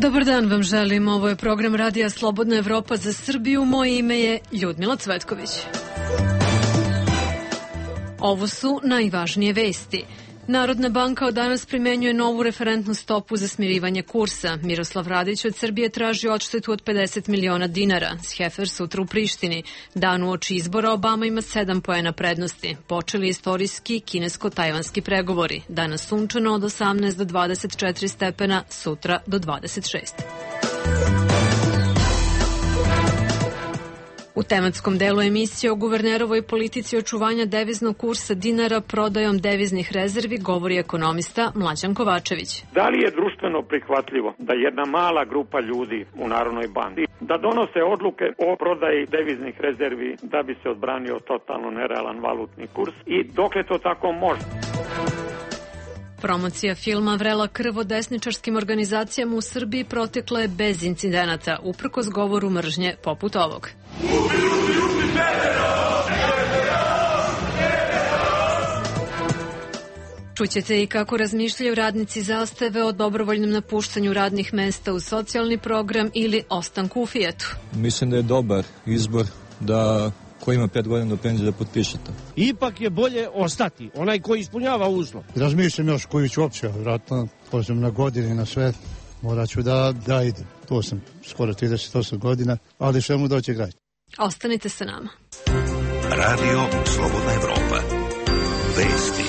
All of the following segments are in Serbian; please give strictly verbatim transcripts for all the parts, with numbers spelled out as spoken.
Dobar dan vam želim, ovo je program Radija Slobodna Evropa za Srbiju, moje ime je Ljudmila Cvetković. Ovo su najvažnije vesti. Narodna banka od danas primenjuje novu referentnu stopu za smirivanje kursa. Miroslav Radić od Srbije traži odštetu od pedeset miliona dinara. Sjefer sutra u Prištini. Dan uoči izbora Obama ima sedam poena prednosti. Počeli istorijski kinesko-tajvanski pregovori. Danas sunčano od osamnaest do dvadeset četiri stepena, sutra do dvadeset šest. U tematskom delu emisije o guvernerovoj politici očuvanja deviznog kursa dinara prodajom deviznih rezervi govori ekonomista Mlađan Kovačević. Da li je društveno prihvatljivo da jedna mala grupa ljudi u Narodnoj banci da donose odluke o prodaji deviznih rezervi da bi se odbranio totalno nerealan valutni kurs i dokle to tako može? Promocija filma Vrela krv o desničarskim organizacijama u Srbiji protekla je bez incidenata, uprkos govoru mržnje poput ovog. Čućete i kako razmišljaju radnici Zastave o dobrovoljnom napuštanju radnih mesta u socijalni program ili ostanku u Fijetu. Mislim da je dobar izbor da ko ima pet godina do penzije da potpiše to. Ipak je bolje ostati, onaj koji ispunjava uslov. Razmišljam još koju ću opće, vratno, pođem na godine, na sve, morat ću da, da idem. To sam skoro trideset osam godina, ali sve mu doće grać. Ostanite sa nama. Radio Slobodna Evropa. Vesti.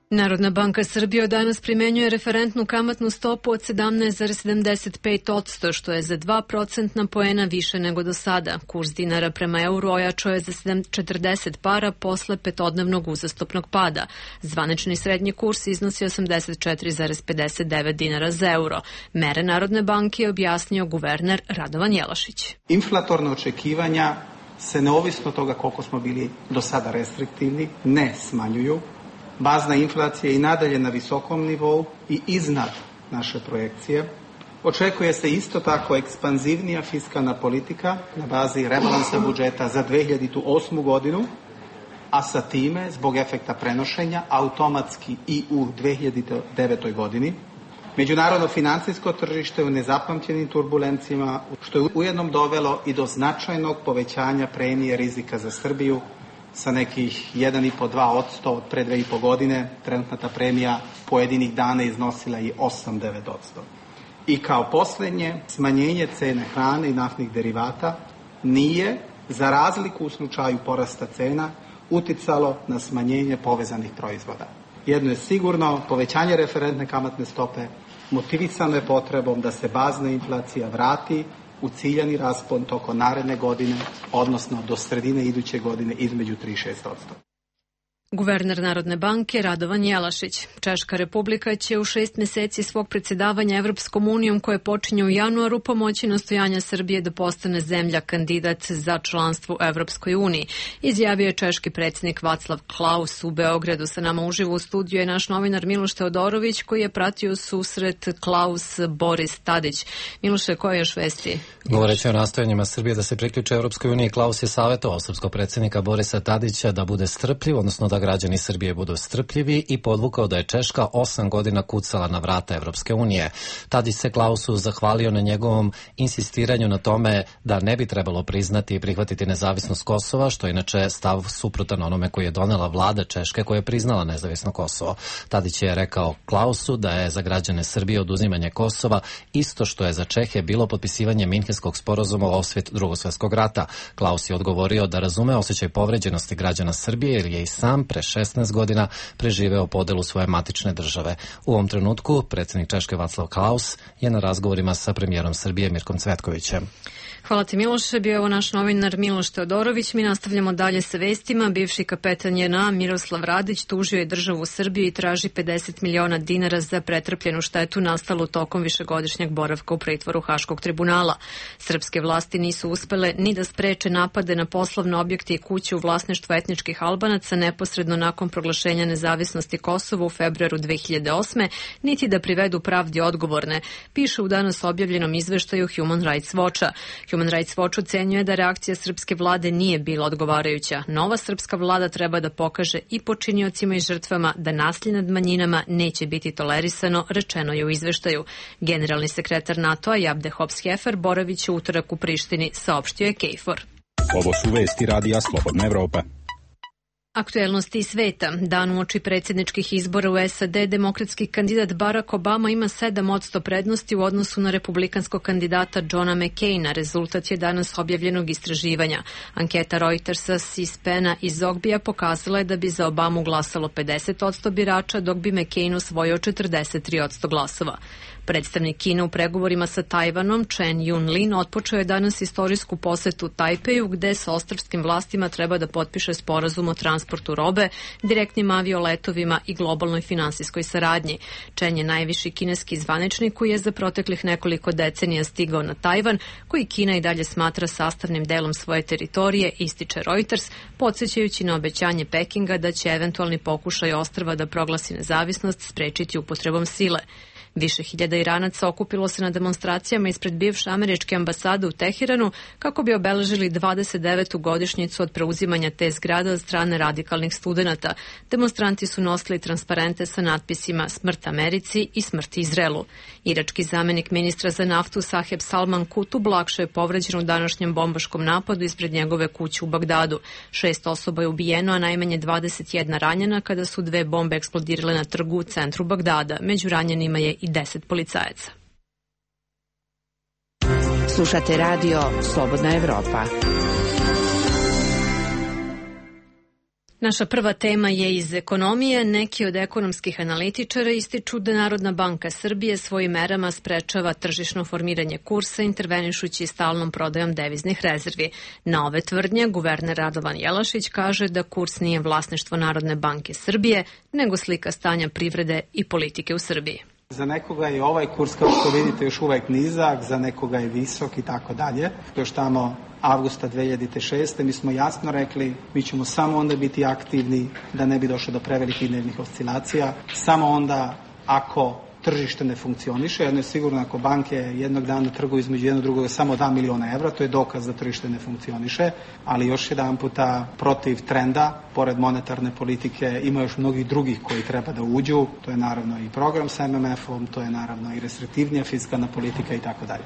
Narodna banka Srbije od danas primenjuje referentnu kamatnu stopu od sedamnaest zarez sedamdeset pet posto, što je za dva procentna poena više nego do sada. Kurs dinara prema euru ojačao je za četrdeset para posle petodnevnog uzastopnog pada. Zvanični srednji kurs iznosi osamdeset četiri zarez pedeset devet dinara za euro. Mere Narodne banke je objasnio guverner Radovan Jelašić. Inflatorna očekivanja se neovisno toga koliko smo bili do sada restriktivni ne smanjuju. Bazna inflacija je i nadalje na visokom nivou i iznad naše projekcije. Očekuje se isto tako ekspanzivnija fiskalna politika na bazi rebalansa budžeta za dve hiljade osmu godinu, a sa time, zbog efekta prenošenja, automatski i u dve hiljade devetoj godini. Međunarodno financijsko tržište u nezapamćenim turbulencijama, što je ujednom dovelo i do značajnog povećanja premije rizika za Srbiju, sa nekih jedan i po do dva posto od pre dve i po godine, trenutna ta premija pojedinih dana iznosila je osam do devet posto. I kao posljednje, smanjenje cene hrane i naftnih derivata nije, za razliku u slučaju porasta cena, uticalo na smanjenje povezanih proizvoda. Jedno je sigurno, povećanje referentne kamatne stope motivisano je potrebom da se bazna inflacija vrati u ciljani raspon tokom naredne godine, odnosno do sredine iduće godine između tri i šest posto. Guverner Narodne banke Radovan Jelašić. Češka republika će u šest meseci svog predsjedavanja Evropskom unijom koje počinje u januaru pomoći nastojanja Srbije da postane zemlja kandidat za članstvo u Evropskoj uniji. Izjavio je češki predsjednik Václav Klaus u Beogradu. Sa nama uživo u studiju je naš novinar Miloš Teodorović koji je pratio susret Klaus Boris Tadić. Miloše, koje još vesti? Govoreći o nastojanjima Srbije da se priključe Evropskoj uniji, Klaus je savjetovao srpskog predsjednika Borisa Tadića da bude strpljiv, odnosno da građani Srbije budu strpljivi i podvukao da je Češka osam godina kucala na vrata Evropske unije. Tadić se Klausu zahvalio na njegovom insistiranju na tome da ne bi trebalo priznati i prihvatiti nezavisnost Kosova, što je inače stav suprotan onome koji je donela vlada Češke koja je priznala nezavisno Kosovo. Tadić je rekao Klausu da je za građane Srbije oduzimanje Kosova isto što je za Čehe bilo potpisivanje Minhenskog sporazuma o osvet Drugog svjetskog rata. Klaus je odgovorio da razume osjećaj povređenosti građana Srbije jer je i sam pre šesnaest godina preživeo podelu svoje matične države. U ovom trenutku predsjednik Češke Václav Klaus je na razgovorima sa premijerom Srbije Mirkom Cvetkovićem. Hvala ti Miloše, bio je ovo naš novinar Miloš Teodorović. Mi nastavljamo dalje sa vestima. Bivši kapetan J N A Miroslav Radić tužio je državu Srbiju i traži pedeset miliona dinara za pretrpljenu štetu nastalu tokom višegodišnjeg boravka u pritvoru Haškog tribunala. Srpske vlasti nisu uspele ni da spreče napade na poslovne objekte i kuće u vlasništvu etničkih Albanaca neposredno neposredno nakon proglašenja nezavisnosti Kosova u februaru dve hiljade osme, niti da privedu pravdi odgovorne, piše u danas objavljenom izveštaju Human Rights Watcha. Human Rights Watch ocenjuje da reakcija srpske vlade nije bila odgovarajuća. Nova srpska vlada treba da pokaže i počiniocima i žrtvama da nasilje nad manjinama neće biti tolerisano, rečeno je u izveštaju. Generalni sekretar NATO-a Jabde Hops-Hefer boraviće utorak u Prištini, saopštio je Kejfor. Ovo su vesti Radija Slobodna Evropa. Aktuelnosti sveta. Dan uoči predsjedničkih izbora u S A D, demokratski kandidat Barack Obama ima sedam posto prednosti u odnosu na republikanskog kandidata Johna McCaina. Rezultat je danas objavljenog istraživanja. Anketa Reutersa, C-SPAN-a i Zogbija pokazala je da bi za Obamu glasalo pedeset posto birača, dok bi McCain osvojio četrdeset tri posto glasova. Predstavnik Kine u pregovorima sa Tajvanom, Chen Yun-lin, otpočeo je danas istorijsku posetu Tajpeju, gde sa ostrvskim vlastima treba da potpiše sporazum o transportu robe, direktnim avioletovima i globalnoj finansijskoj saradnji. Chen je najviši kineski zvaničnik koji je za proteklih nekoliko decenija stigao na Tajvan, koji Kina i dalje smatra sastavnim delom svoje teritorije, ističe Reuters, podsjećajući na obećanje Pekinga da će eventualni pokušaj ostrva da proglasi nezavisnost sprečiti upotrebom sile. Više hiljada Iranaca okupilo se na demonstracijama ispred bivše američke ambasade u Teheranu kako bi obeležili dvadeset devetu godišnjicu od preuzimanja te zgrade od strane radikalnih studenata. Demonstranti su nosili transparente sa natpisima "Smrt Americi" i "Smrt Izraelu". Irački zamenik ministra za naftu Saheb Salman Kutub lakše je povređen u današnjem bombaškom napadu ispred njegove kuće u Bagdadu. Šest osoba je ubijeno, a najmanje dvadeset jedna ranjena kada su dve bombe eksplodirale na trgu u centru Bagdada. Među ranjenima je i deset policajaca. Slušate radio Slobodna Evropa. Naša prva tema je iz ekonomije. Neki od ekonomskih analitičara ističu da Narodna banka Srbije svojim merama sprečava tržišno formiranje kursa intervenišući stalnom prodajom deviznih rezervi. Na ove tvrdnje guverner Radovan Jelašić kaže da kurs nije vlasništvo Narodne banke Srbije, nego slika stanja privrede i politike u Srbiji. Za nekoga je ovaj kurs, kao što vidite, još uvek nizak, za nekoga je visok i tako dalje. Još tamo avgusta dve hiljade šeste. mi smo jasno rekli, mi ćemo samo onda biti aktivni da ne bi došlo do prevelikih dnevnih oscilacija. Samo onda ako tržište ne funkcioniše, jedno je sigurno ako banke jednog dana trguju između jednog drugog samo dva miliona evra, to je dokaz da tržište ne funkcioniše, ali još jedan puta protiv trenda, pored monetarne politike, ima još mnogih drugih koji treba da uđu, to je naravno i program sa M M F-om, to je naravno i restriktivnija fiskalna politika i tako dalje.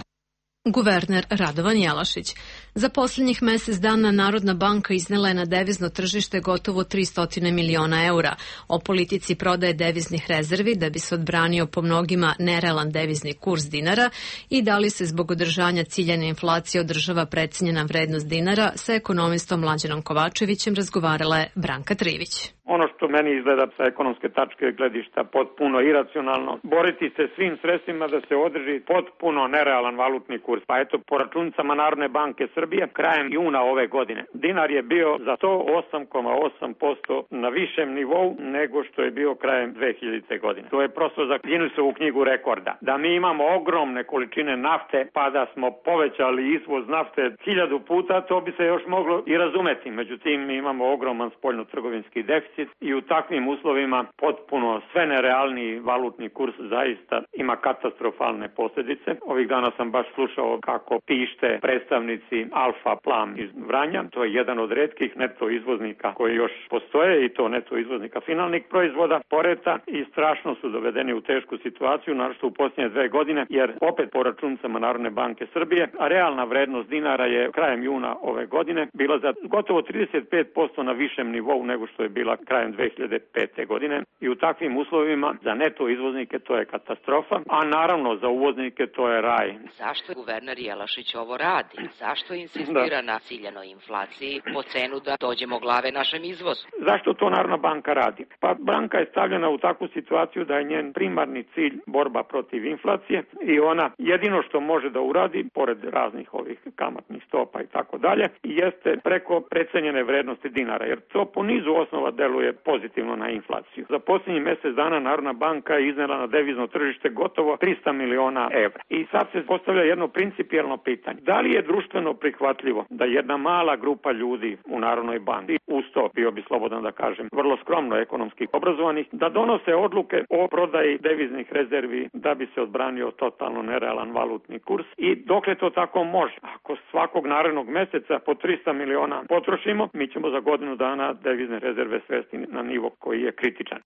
Guverner Radovan Jelašić. Za posljednjih mesec dana Narodna banka iznela je na devizno tržište gotovo tristo miliona eura. O politici prodaje deviznih rezervi da bi se odbranio po mnogima nerealan devizni kurs dinara i da li se zbog održanja ciljane inflacije održava precenjena vrednost dinara, sa ekonomistom Mlađanom Kovačevićem razgovarala je Branka Trivić. Ono što meni izgleda sa ekonomske tačke gledišta potpuno iracionalno, boriti se svim sredstvima da se održi potpuno nerealan valutni kurs. Pa eto, po računicama Narodne banke Srbije, krajem juna ove godine, dinar je bio za sto osam zarez osam posto na višem nivou nego što je bio krajem dve hiljadite. godine. To je prosto za Guinnessovu knjigu rekorda. Da mi imamo ogromne količine nafte, pa da smo povećali izvoz nafte hiljadu puta, to bi se još moglo i razumeti. Međutim, mi imamo ogroman spoljno-trgovinski deficit i u takvim uslovima potpuno sve nerealniji valutni kurs zaista ima katastrofalne posljedice. Ovih dana sam baš slušao kako pište predstavnici Alfa Plam iz Vranja. To je jedan od retkih neto izvoznika koji još postoje, i to neto izvoznika finalnih proizvoda poreta, i strašno su dovedeni u tešku situaciju, naročito u posljednje dve godine, jer opet po računicama Narodne banke Srbije, a realna vrednost dinara je krajem juna ove godine bila za gotovo trideset pet posto na višem nivou nego što je bila krajem dve hiljade pete. godine, i u takvim uslovima za neto izvoznike to je katastrofa, a naravno za uvoznike to je raj. Zašto guverner Jelašić ovo radi? Zašto insistira da. na ciljanoj inflaciji po cenu da dođemo glave našem izvozu? Zašto to Narodna banka radi? Pa banka je stavljena u takvu situaciju da je njen primarni cilj borba protiv inflacije i ona jedino što može da uradi, pored raznih ovih kamatnih stopa i tako dalje, jeste preko precenjene vrednosti dinara, jer to po nizu osnova deluje deluje pozitivno na inflaciju. Za posljednjih mjesec dana Narodna banka je iznela na devizno tržište gotovo trista miliona evra. I sad se postavlja jedno principijelno pitanje. Da li je društveno prihvatljivo da jedna mala grupa ljudi u Narodnoj banci, uz to bio bi slobodan da kažem, vrlo skromno ekonomski obrazovanih, da donose odluke o prodaji deviznih rezervi da bi se odbranio totalno nerealan valutni kurs i dokle to tako može. Ako svakog narednog mjeseca po trista miliona potrošimo, mi ćemo za godinu dana devizne rezerve svesti na nivo koji je kritičan.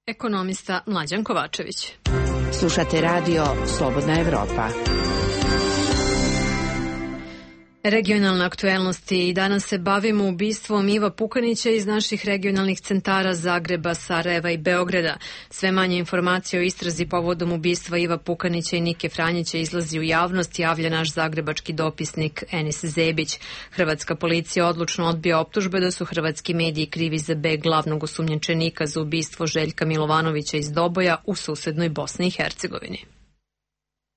Ekonomista Mlađan Kovačević. Slušate radio Slobodna Evropa. Regionalne aktuelnosti i danas se bavimo ubistvom Iva Pukanića iz naših regionalnih centara Zagreba, Sarajeva i Beograda. Sve manje informacije o istrazi povodom ubistva Iva Pukanića i Nike Franjića izlazi u javnost, javlja naš zagrebački dopisnik Enis Zebić. Hrvatska policija odlučno odbija optužbe da su hrvatski mediji krivi za beg glavnog osumnjičenika za ubistvo Željka Milovanovića iz Doboja u susednoj Bosni i Hercegovini.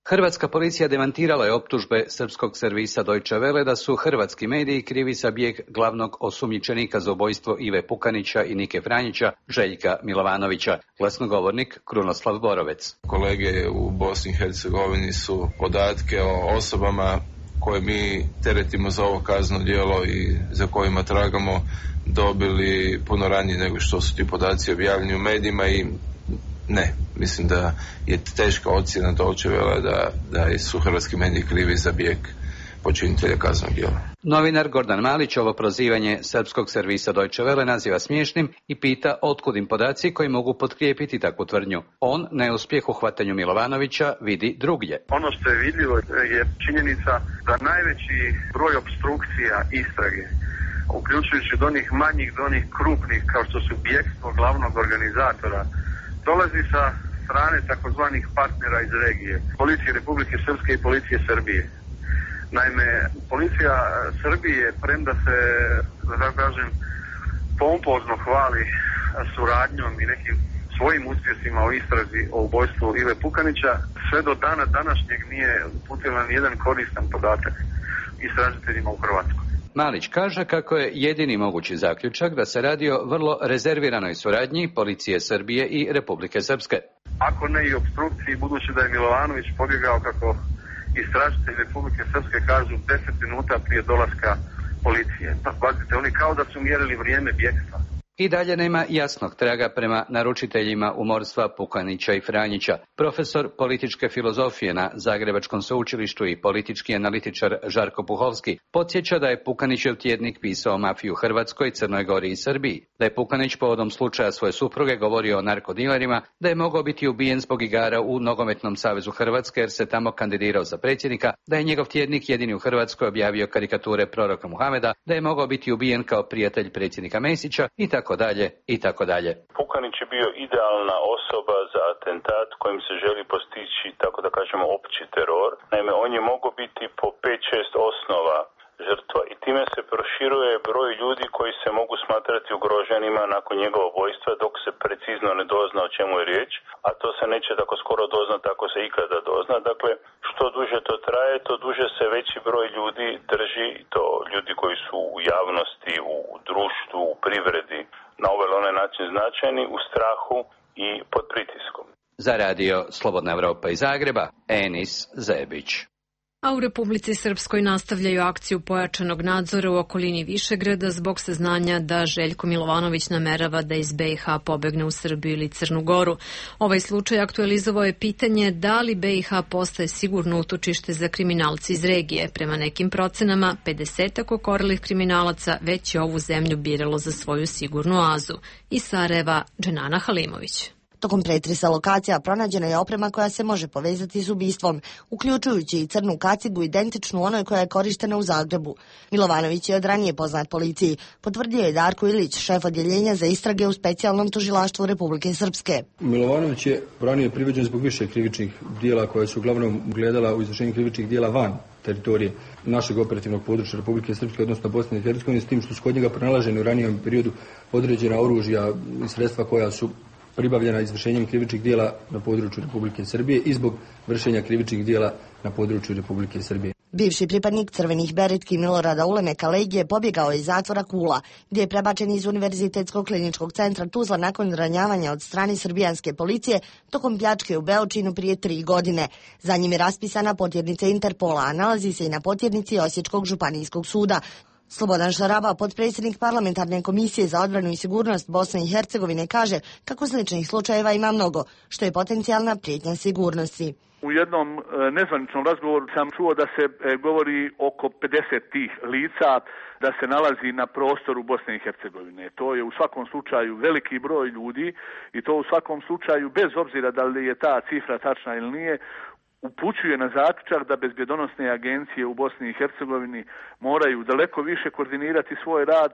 Hrvatska policija demantirala je optužbe srpskog servisa Deutsche Welle da su hrvatski mediji krivi za bijeg glavnog osumnjičenika za ubojstvo Ive Pukanića i Nike Franjića, Željka Milovanovića. Glasnogovornik Krunoslav Borovec. Kolege u Bosni i Hercegovini su podatke o osobama koje mi teretimo za ovo kazneno djelo i za kojima tragamo dobili puno ranije nego što su ti podaci objavljeni u medijima i ne, mislim da je teška ocjena Deutsche Welle da, da su hrvatski mediji krivi za bijeg počinitelja kaznenog djela. Novinar Gordan Malić ovo prozivanje srpskog servisa Deutsche Welle naziva smiješnim i pita otkud im podaci koji mogu potkrijepiti takvu tvrdnju. On neuspjeh u hvatanju Milovanovića vidi drugdje. Ono što je vidljivo je činjenica da najveći broj opstrukcija istrage, uključujući od onih manjih do onih krupnih kao što su bjegstvo glavnog organizatora, dolazi sa strane takozvanih partnera iz regije, policije Republike Srpske i policije Srbije. Naime, policija Srbije, premda se, da kažem, pompozno hvali suradnjom i nekim svojim uspjesima o istrazi o ubojstvu Ive Pukanića, sve do dana današnjeg nije uputila ni jedan koristan podatak istražiteljima u Hrvatskoj. Malić kaže kako je jedini mogući zaključak da se radi o vrlo rezerviranoj suradnji policije Srbije i Republike Srpske. Ako ne i opstrukciji, budući da je Milovanović pobjegao, kako istražitelji Republike Srpske kažu, deset minuta prije dolaska policije. Pa, pazite, oni kao da su mjerili vrijeme bjegstva. I dalje nema jasnog traga prema naručiteljima umorstva Pukanića i Franjića. Profesor političke filozofije na Zagrebačkom sveučilištu i politički analitičar Žarko Puhovski podsjeća da je Pukanićev tjednik pisao o mafiji u Hrvatskoj, Crnoj Gori i Srbiji, da je Pukanić povodom slučaja svoje supruge govorio o narkodilerima, da je mogao biti ubijen zbog igara u Nogometnom savezu Hrvatske jer se tamo kandidirao za predsjednika, da je njegov tjednik jedini u Hrvatskoj objavio karikature proroka Muhameda, da je mogao biti ubijen kao prijatelj predsjednika Mesića i tako dalje i tako dalje. Pukanić je bio idealna osoba za atentat kojim se želi postići, tako da kažemo, opći teror. Naime, on je mogao biti po pet šest osnova žrtva i time se proširuje broj ljudi koji se mogu smatrati ugroženima nakon njegova ubojstva dok se precizno ne dozna o čemu je riječ, a to se neće tako skoro doznati ako se ikada dozna. Dakle, što duže to traje, to duže se veći broj ljudi drži, to ljudi koji su u javnosti, u društvu, u privredi, na ovaj ili onaj način značajni, u strahu i pod pritiskom. Za radio Slobodna Evropa iz Zagreba, Enis Zebić. A u Republici Srpskoj nastavljaju akciju pojačanog nadzora u okolini Višegrada zbog saznanja da Željko Milovanović namerava da iz B i H pobegne u Srbiju ili Crnu Goru. Ovaj slučaj aktualizovao je pitanje da li B i H postaje sigurno utočište za kriminalci iz regije. Prema nekim procenama, pedesetak okorelih kriminalaca već je ovu zemlju biralo za svoju sigurnu oazu. Iz Sarajeva, Dženana Halimović. Tokom pretresa lokacija pronađena je oprema koja se može povezati s ubistvom, uključujući i crnu kacigu identičnu onoj koja je korištena u Zagrebu. Milovanović je od ranije poznat policiji, potvrdio je Darko Ilić, šef odjeljenja za istrage u specijalnom tužilaštvu Republike Srpske. Milovanović je ranije priveđen zbog više krivičnih dijela koje su uglavnom gledala u izvršenju krivičnih dijela van teritorije našeg operativnog područja Republike Srpske, odnosno Bosne i Hercegovine, s tim što su kod njega pronalaženi u ranijem periodu određena oružja i sredstva koja su pribavljena izvršenjem krivičnih dijela na području Republike Srbije i zbog vršenja krivičnih dijela na području Republike Srbije. Bivši pripadnik crvenih beretki Milorada Ulemeka Legije pobjegao je iz zatvora Kula, gdje je prebačen iz Univerzitetskog kliničkog centra Tuzla nakon ranjavanja od strane srbijanske policije tokom pljačke u Beočinu prije tri godine. Za njim je raspisana potjernica Interpola, a nalazi se i na potjernici Osječkog županijskog suda. Slobodan Šaraba, potpredsjednik parlamentarne komisije za odbranu i sigurnost Bosne i Hercegovine, kaže kako sličnih slučajeva ima mnogo, što je potencijalna prijetnja sigurnosti. U jednom nezvaničnom razgovoru sam čuo da se govori oko pedeset tih lica da se nalazi na prostoru Bosne i Hercegovine. To je u svakom slučaju veliki broj ljudi i to u svakom slučaju, bez obzira da li je ta cifra tačna ili nije, upućuje na zaključak da bezbjedonosne agencije u Bosni i Hercegovini moraju daleko više koordinirati svoj rad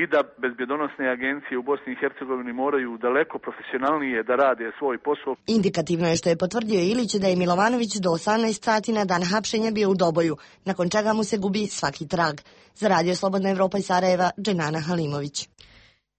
i da bezbjedonosne agencije u Bosni i Hercegovini moraju daleko profesionalnije da rade svoj posao. Indikativno je što je potvrdio Ilić da je Milovanović do osamnaest sati na dan hapšenja bio u Doboju, nakon čega mu se gubi svaki trag. Za Radio Slobodna Evropa iz Sarajeva, Dženana Halimović.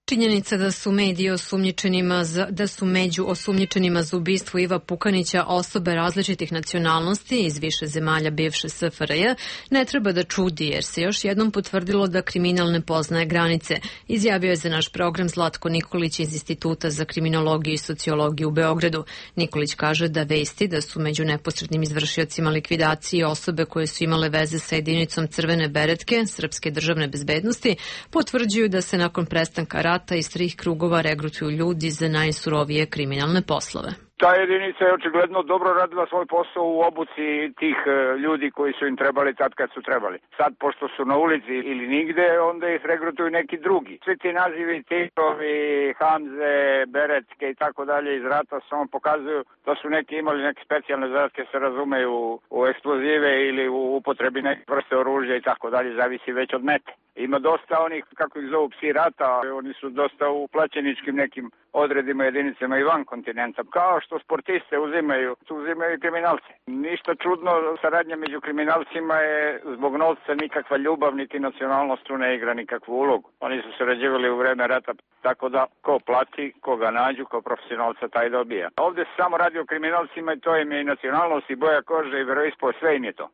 Činjenica da su mediji osumnjičenima za, da su među osumnjičenima za ubistvo Iva Pukanića osobe različitih nacionalnosti iz više zemalja bivše S F R J ne treba da čudi, jer se još jednom potvrdilo da kriminal ne poznaje granice, izjavio je za naš program Zlatko Nikolić iz Instituta za kriminologiju i sociologiju u Beogradu. Nikolić kaže da vesti da su među neposrednim izvršiocima likvidacije osobe koje su imale veze sa jedinicom Crvene beretke, Srpske državne bezbednosti, potvrđuju da se nakon prestanka rata iz trih krugova regrutuju ljudi za najsurovije kriminalne poslove. Ta jedinica je očigledno dobro radila svoj posao u obuci tih ljudi koji su im trebali tad kad su trebali. Sad, pošto su na ulici ili nigde, onda ih regrutuju neki drugi. Svi ti nazivi, Titovi, Hamze, Beretske i tako dalje iz rata samo pokazuju da su neki imali neke specijalne zadatke, se razumeju u eksplozive ili u upotrebi neke vrste oružja i tako dalje, zavisi već od mete. Ima dosta onih, kako ih zovu, psi rata, oni su dosta u plaćeničkim nekim odredima, jedinicama i van kontinenta. Kao što sportiste uzimaju, uzimaju i kriminalce. Ništa čudno, saradnja među kriminalcima je zbog novca nikakva ljubav, niti nacionalnost tu ne igra nikakvu ulogu. Oni su sarađivali u vreme rata, tako da ko plati, koga nađu, ko profesionalca taj dobija. Ovdje se samo radi o kriminalcima i to im je i nacionalnost i boja kože i veroispovest, sve im je to.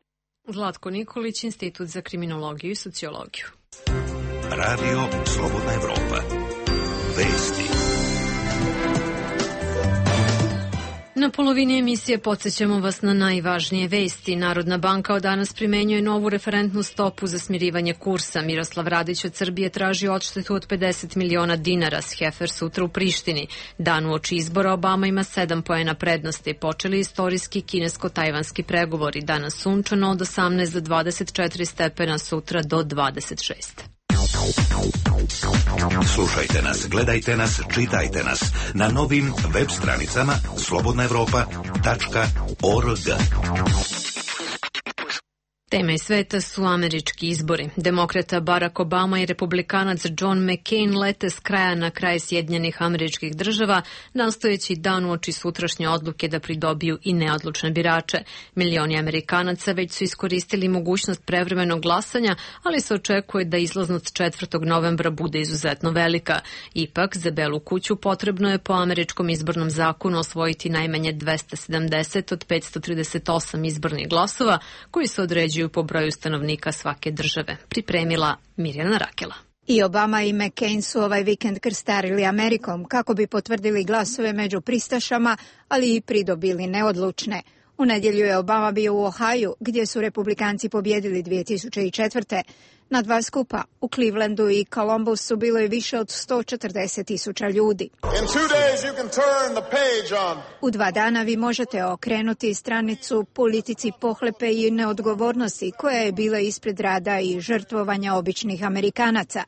Zlatko Nikolić, Institut za kriminologiju i sociologiju. Radio Slobodna Evropa. Vesti. Na polovini emisije podsjećamo vas na najvažnije vesti. Narodna banka od danas primenjuje novu referentnu stopu za smirivanje kursa. Miroslav Radić od Srbije traži odštetu od pedeset miliona dinara. Sjefer sutra u Prištini. Dan uoči izbora Obama ima sedam poena prednosti. Počeli istorijski kinesko-tajvanski pregovori. Danas sunčano od osamnaest do dvadeset četiri stepena, sutra do dvadeset šest. Slušajte nas, gledajte nas, čitajte nas na novim web stranicama slobodna evropa tačka org. Tema iz sveta su američki izbori. Demokrata Barack Obama i republikanac John McCain lete s kraja na kraj Sjedinjenih Američkih Država, nastojeći dan uoči sutrašnje odluke da pridobiju i neodlučne birače. Milioni Amerikanaca već su iskoristili mogućnost prevremenog glasanja, ali se očekuje da izlaznost četvrtog novembra bude izuzetno velika. Ipak, za Belu kuću potrebno je po američkom izbornom zakonu osvojiti najmanje dvesta sedamdeset od petsto trideset osam izbornih glasova, koji se određuju po broju stanovnika svake države. Pripremila Mirjana Rakela. I Obama i McCain su ovaj vikend krstarili Amerikom kako bi potvrdili glasove među pristašama, ali i pridobili neodlučne. U nedjelju je Obama bio u Ohaju, gdje su republikanci pobjedili dvije tisuće četvrte. Na dva skupa, u Clevelandu i Columbusu, bilo je više od sto četrdeset tisuća ljudi. U dva dana vi možete okrenuti stranicu politici pohlepe i neodgovornosti koja je bila ispred rada i žrtvovanja običnih Amerikanaca.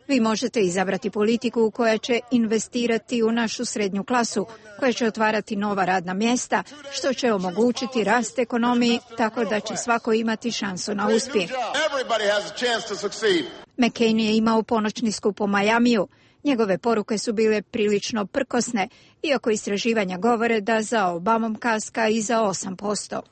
Vi možete izabrati politiku koja će investirati u našu srednju klasu, koja će otvarati nova radna mjesta, što će omogućiti rast ekonomiji tako da će svako imati šansu na uspjeh. McCain je imao ponoćni skup u Majamiju. Njegove poruke su bile prilično prkosne, iako istraživanja govore da za Obamom kaska i za osam posto.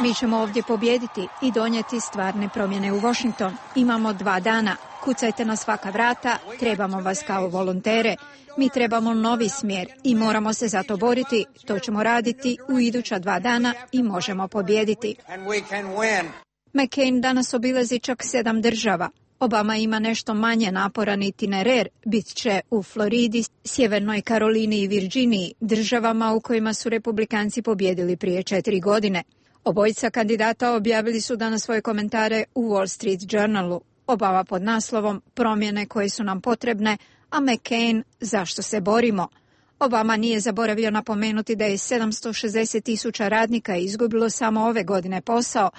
Mi ćemo ovdje pobijediti i donijeti stvarne promjene u Washington. Imamo dva dana. Kucajte na svaka vrata, trebamo vas kao volontere. Mi trebamo novi smjer i moramo se za to boriti. To ćemo raditi u iduća dva dana i možemo pobijediti. McCain danas obilazi čak sedam država. Obama ima nešto manje naporan itinerar, bit će u Floridi, Sjevernoj Karolini i Virginiji, državama u kojima su republikanci pobjedili prije četiri godine. Obojica kandidata objavili su danas svoje komentare u Wall Street Journalu. Obama pod naslovom Promjene koje su nam potrebne, a McCain Zašto se borimo. Obama nije zaboravio napomenuti da je sedamsto šezdeset tisuća radnika izgubilo samo ove godine posao,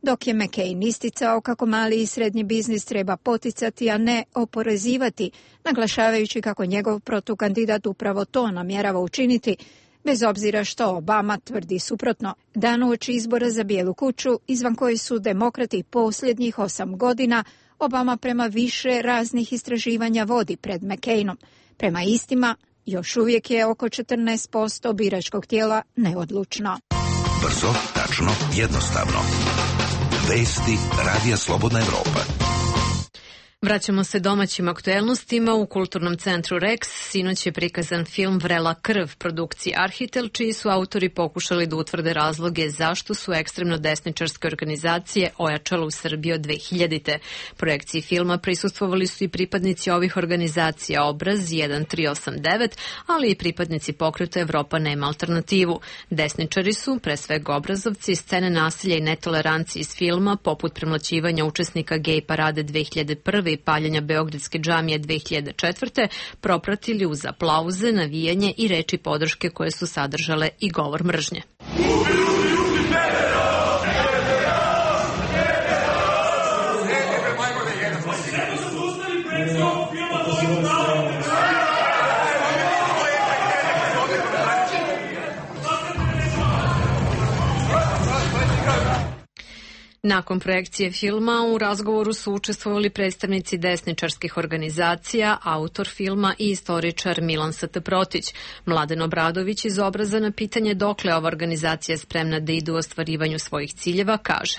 dok je McCain isticao kako mali i srednji biznis treba poticati, a ne oporezivati, naglašavajući kako njegov protukandidat upravo to namjerava učiniti, bez obzira što Obama tvrdi suprotno. Dan uoči izbora za Bijelu kuću, izvan koji su demokrati posljednjih osam godina, Obama prema više raznih istraživanja vodi pred McCainom. Prema istima, još uvijek je oko četrnaest posto biračkog tijela neodlučno. Brzo, tačno, jednostavno. Vesti Radija Slobodna Evropa. Vraćamo se domaćim aktuelnostima. U Kulturnom centru Rex sinoć je prikazan film Vrela krv produkcije Arhitel, čiji su autori pokušali da utvrde razloge zašto su ekstremno desničarske organizacije ojačale u Srbiji od dve hiljadite. Projekciji filma prisustvovali su i pripadnici ovih organizacija Obraz jedan tri osam devet, ali i pripadnici pokreta Evropa nema alternativu. Desničari su, pre svega obrazovci, scene nasilja i netolerancije iz filma, poput premlaćivanja učesnika gej parade dve hiljade prve i paljenja Beogradske džamije dve hiljade četvrte propratili uz aplauze, navijanje i reči podrške koje su sadržale i govor mržnje. Nakon projekcije filma u razgovoru su učestvovali predstavnici desničarskih organizacija, autor filma i istoričar Milan S T Protić. Mladen Obradović iz Obraza na pitanje dokle ova organizacija spremna da ide u ostvarivanju svojih ciljeva kaže: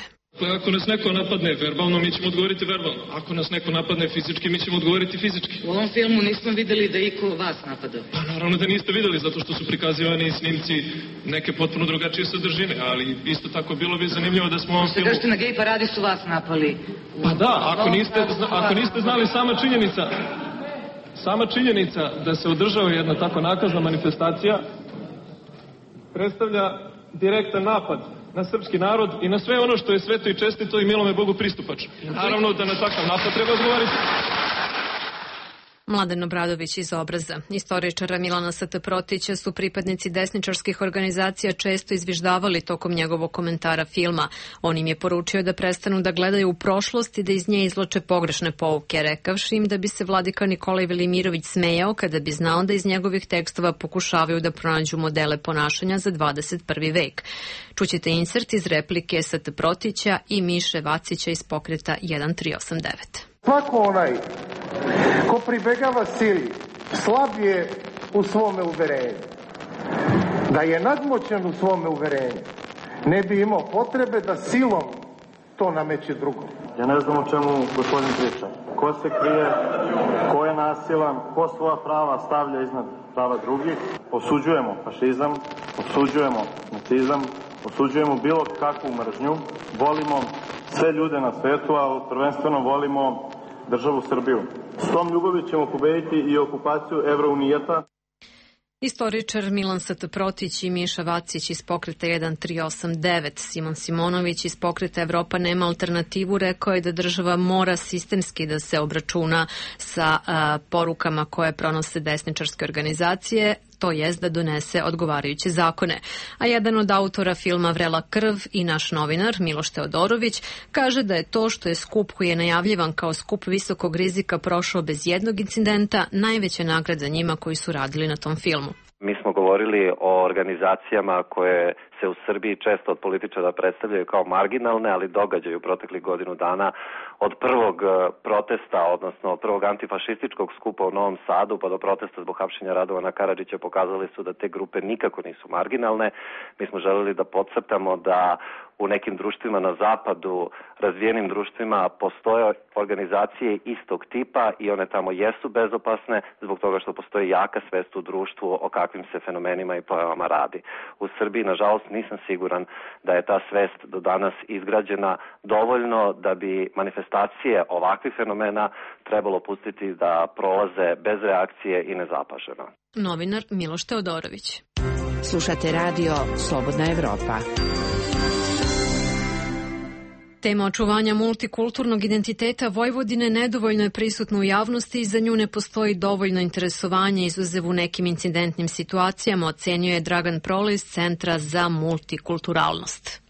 Ako nas neko napadne verbalno, mi ćemo odgovoriti verbalno. Ako nas neko napadne fizički, mi ćemo odgovoriti fizički. U ovom filmu nismo videli da iko vas napadao. Pa naravno da niste videli, zato što su prikazivani snimci neke potpuno drugačije sadržine, ali isto tako bilo bi zanimljivo da smo u ovom filmu... Kažete, na gej paradi su vas napali. Pa da, ako niste, ako niste znali, sama činjenica, sama činjenica da se održava jedna tako nakazna manifestacija predstavlja direktan napad na srpski narod i na sve ono što je sveto i čestito i milome Bogu pristupačno. Naravno da na takav napad treba odgovoriti. Mladen Obradović iz Obraza. Istoričara Milana S T Protića su pripadnici desničarskih organizacija često izviždavali tokom njegovog komentara filma. On im je poručio da prestanu da gledaju u prošlost i da iz nje izvlače pogrešne pouke, rekavši im da bi se vladika Nikolaj Velimirović smejao kada bi znao da iz njegovih tekstova pokušavaju da pronađu modele ponašanja za dvadeset prvi vek. Čućete insert iz replike S T Protića i Miše Vacića iz pokreta jedan tri osam devet. Svako onaj ko pribegava sili slab je u svome uverenju. Da je nadmoćan u svome uverenju, ne bi imao potrebe da silom to nameće drugom. Ja ne znam o čemu gospodin priča. Ko se krije, ko je nasilan, ko svoja prava stavlja iznad prava drugih. Osuđujemo fašizam, osuđujemo nacizam, osuđujemo bilo kakvu mržnju, volimo sve ljude na svetu, ali prvenstveno volimo državu Srbiju. S tom ljubavi ćemo pobediti i okupaciju Evrounijeta. Istoričar Milan S T Protić i Miša Vacić iz pokreta jedan tri osam devet. Simon Simonović iz pokreta Evropa nema alternativu rekao je da država mora sistemski da se obračuna sa a, porukama koje pronose desničarske organizacije, to jest da donese odgovarajuće zakone. A jedan od autora filma Vrela krv i naš novinar Miloš Teodorović kaže da je to što je skup koji je najavljivan kao skup visokog rizika prošao bez jednog incidenta najveća nagrada njima koji su radili na tom filmu. Mi smo govorili o organizacijama koje se u Srbiji često od političara predstavljaju kao marginalne, ali događaju u proteklih godinu dana od prvog protesta, odnosno od prvog antifašističkog skupa u Novom Sadu pa do protesta zbog hapšenja Radovana Karadžića pokazali su da te grupe nikako nisu marginalne. Mi smo želeli da podcrtamo da u nekim društvima na zapadu, razvijenim društvima, postoje organizacije istog tipa i one tamo jesu bezopasne zbog toga što postoji jaka svest u društvu o kakvim se fenomenima i pojavama radi. U Srbiji, nažalost, nisam siguran da je ta svest do danas izgrađena dovoljno da bi manifestacije ovakvih fenomena trebalo pustiti da prolaze bez reakcije i nezapaženo. Novinar Miloš Teodorović. Slušate radio Slobodna Evropa. Tema očuvanja multikulturnog identiteta Vojvodine nedovoljno je prisutna u javnosti i za nju ne postoji dovoljno interesovanje, izuzev u nekim incidentnim situacijama, ocenio je Dragan Prole iz Centra za multikulturalnost.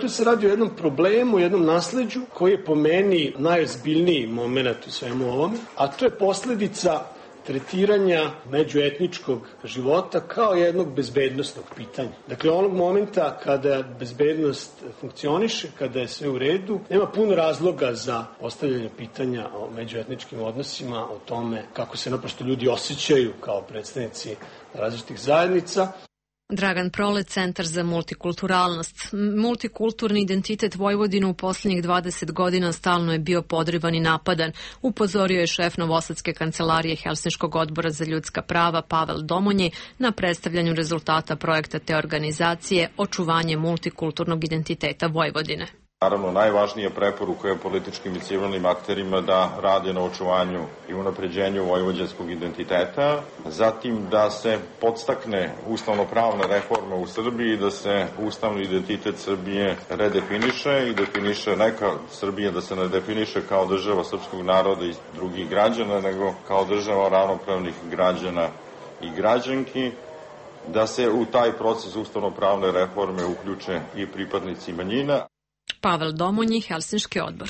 Tu se radi o jednom problemu, jednom nasleđu koji je po meni najozbiljniji moment u svemu ovome, a to je posledica tretiranja međuetničkog života kao jednog bezbednostnog pitanja. Dakle, onog momenta kada bezbednost funkcioniše, kada je sve u redu, nema puno razloga za postavljanje pitanja o međuetničkim odnosima, o tome kako se naprosto ljudi osjećaju kao predstavnici različitih zajednica. Dragan Prole, Centar za multikulturalnost. Multikulturni identitet Vojvodine u posljednjih dvadeset godina stalno je bio podrivan i napadan, upozorio je šef Novosadske kancelarije Helsinškog odbora za ljudska prava Pavel Domonji na predstavljanju rezultata projekta te organizacije Očuvanje multikulturnog identiteta Vojvodine. Naravno, najvažnija preporuka je političkim i civilnim akterima da rade na očuvanju i unapređenju vojvođanskog identiteta, zatim da se podstakne ustavno-pravna reforma u Srbiji, da se ustavni identitet Srbije redefiniše i definiše neka Srbija da se ne definiše kao država srpskog naroda i drugih građana, nego kao država ravnopravnih građana i građanki, da se u taj proces ustavno-pravne reforme uključe i pripadnici manjina. Pavel Domonji, Helsinški odbor.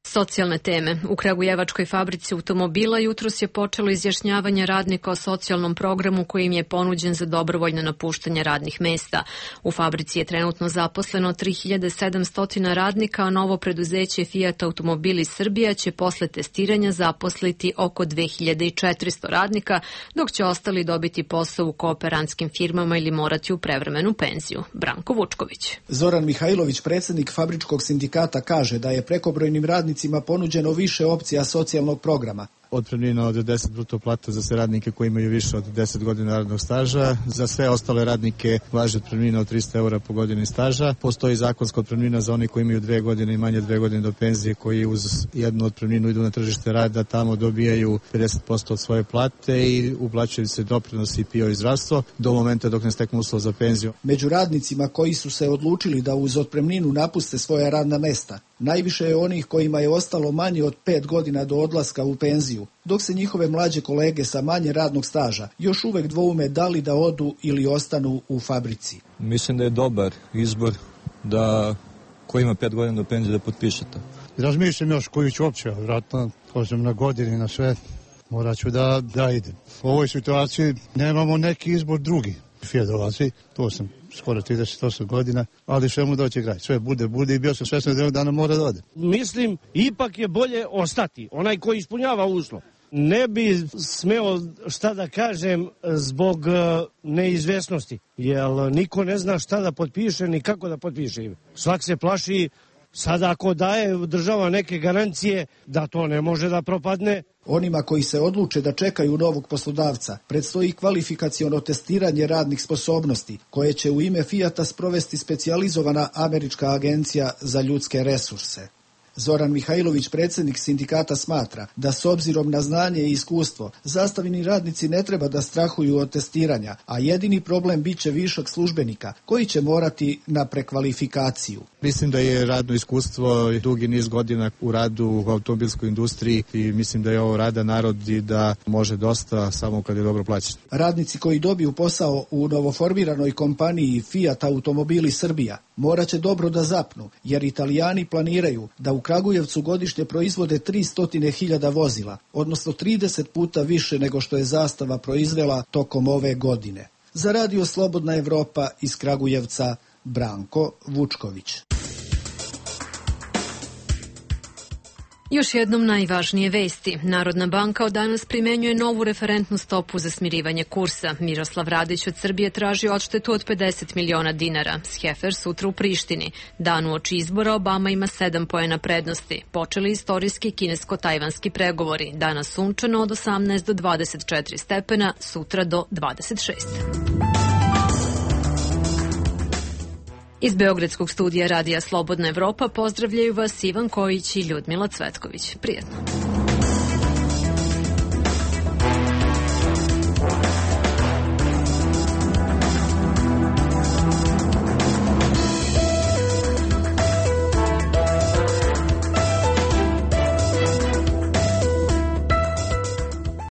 Socijalne teme. U Kragujevačkoj fabrici automobila jutros je počelo izjašnjavanje radnika o socijalnom programu koji im je ponuđen za dobrovoljno napuštanje radnih mesta. U fabrici je trenutno zaposleno tri hiljade sedamsto radnika, a novo preduzeće Fiat Automobili Srbija će posle testiranja zaposliti oko dve hiljade četiristo radnika, dok će ostali dobiti posao u kooperantskim firmama ili morati u prevremenu penziju. Branko Vučković. Zoran Mihajlović, predsjednik fabričkog sindikata, kaže da je prekobrojnim radnicima ponuđeno više opcija socijalnog programa. Otpremnina od deset bruto plata za sve radnike koji imaju više od deset godina radnog staža. Za sve ostale radnike važi otpremnina od trista eura po godini staža. Postoji zakonska otpremnina za oni koji imaju dve godine i manje dve godine do penzije, koji uz jednu otpremninu idu na tržište rada, tamo dobijaju pedeset posto od svoje plate i uplaćuju se doprinosi i P I O i zdravstvo do momenta dok ne steknu uslov za penziju. Među radnicima koji su se odlučili da uz otpremninu napuste svoja radna mesta, najviše je onih kojima je ostalo manje od pet godina do odlaska u penziju, dok se njihove mlađe kolege sa manje radnog staža još uvek dvoume da li da odu ili ostanu u fabrici. Mislim da je dobar izbor da ko ima pet godina do penzije da potpiše to. Razmišljam još koju ću opće, vratno, kažem na godini, na sve, morat ću da, da idem. U ovoj situaciji nemamo neki izbor drugi. Fiat dolazi, to sam skoro trideset osam godina, ali sve mu doći kraj. Sve bude, bude i bio sam svesno da jednog dana mora da ode. Mislim, ipak je bolje ostati, onaj koji ispunjava uslov. Ne bi smeo šta da kažem zbog neizvesnosti, jer niko ne zna šta da potpiše ni kako da potpiše. Svak se plaši, sada ako daje država neke garancije da to ne može da propadne. Onima koji se odluče da čekaju novog poslodavca predstoji kvalifikaciono testiranje radnih sposobnosti, koje će u ime Fijata sprovesti specijalizovana američka agencija za ljudske resurse. Zoran Mihajlović, predsjednik sindikata, smatra da s obzirom na znanje i iskustvo zastavljeni radnici ne treba da strahuju od testiranja, a jedini problem bit će višak službenika koji će morati na prekvalifikaciju. Mislim da je radno iskustvo dugi niz godina u radu u automobilskoj industriji i mislim da je ovo rada narod i da može dosta samo kad je dobro plaćen. Radnici koji dobiju posao u novoformiranoj kompaniji Fiat Automobili Srbija morat će dobro da zapnu, jer Italijani planiraju da u Kragujevcu godišnje proizvode tristo hiljada vozila, odnosno trideset puta više nego što je Zastava proizvela tokom ove godine. Za Radio Slobodna Evropa iz Kragujevca, Branko Vučković. Još jednom najvažnije vesti. Narodna banka od danas primenjuje novu referentnu stopu za smirivanje kursa. Miroslav Radić od Srbije traži odštetu od pedeset miliona dinara. Sjefer sutra u Prištini. Dan uoči izbora Obama ima sedam poena prednosti. Počeli istorijski kinesko-tajvanski pregovori. Danas sunčano od osamnaest do dvadeset četiri stepena, sutra do dvadeset šest. Iz Beogradskog studija Radija Slobodna Evropa pozdravljaju vas Ivan Kojić i Ljudmila Cvetković. Prijetno.